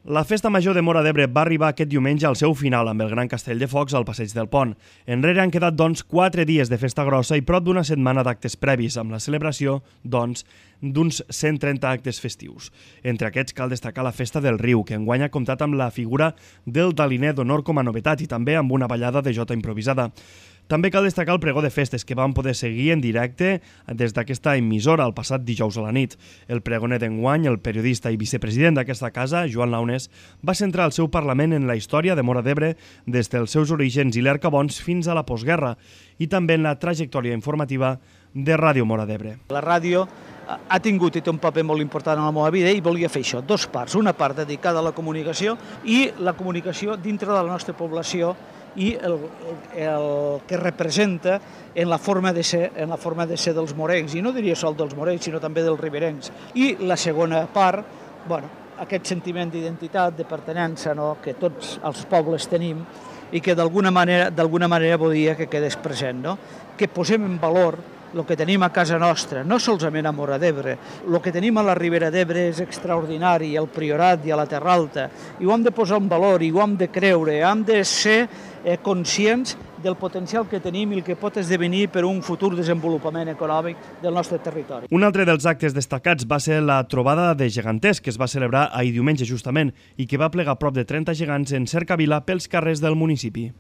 La Festa Major de Móra d'Ebre va arribar aquest diumenge al seu final amb el Gran Castell de Focs al Passeig del Pont. Enrere han quedat, 4 dies de festa grossa i prop d'una setmana d'actes previs, amb la celebració, d'uns 130 actes festius. Entre aquests cal destacar la Festa del Riu, que enguany ha comptat amb la figura del Daliner d'Honor com a novetat i també amb una ballada de jota improvisada. També cal destacar el pregó de festes, que van poder seguir en directe des d'aquesta emissora el passat dijous a la nit. El pregoner d'enguany, el periodista i vicepresident d'aquesta casa, Joan Launes, va centrar el seu parlament en la història de Móra d'Ebre des dels seus orígens i l'Ercabons fins a la postguerra i també en la trajectòria informativa de Ràdio Móra d'Ebre. La ràdio ha tingut i té un paper molt important en la meva vida i volia fer això, dues parts. Una part dedicada a la comunicació i la comunicació dintre de la nostra població i el que representa en la forma de ser dels morencs, i no diria sol dels morencs, sinó també dels riberencs. I la segona part, aquest sentiment d'identitat, de pertinença, que tots els pobles tenim i que d'alguna manera volia que quedés present, que posem en valor el que tenim a casa nostra, no solament a Móra d'Ebre. El que tenim a la Ribera d'Ebre és extraordinari, al Priorat i a la Terra Alta, i ho hem de posar en valor, i ho hem de creure, hem de ser conscients del potencial que tenim i el que pot esdevenir per un futur desenvolupament econòmic del nostre territori. Un altre dels actes destacats va ser la trobada de geganters, que es va celebrar ahir diumenge justament i que va plegar prop de 30 gegants en cercavila pels carrers del municipi.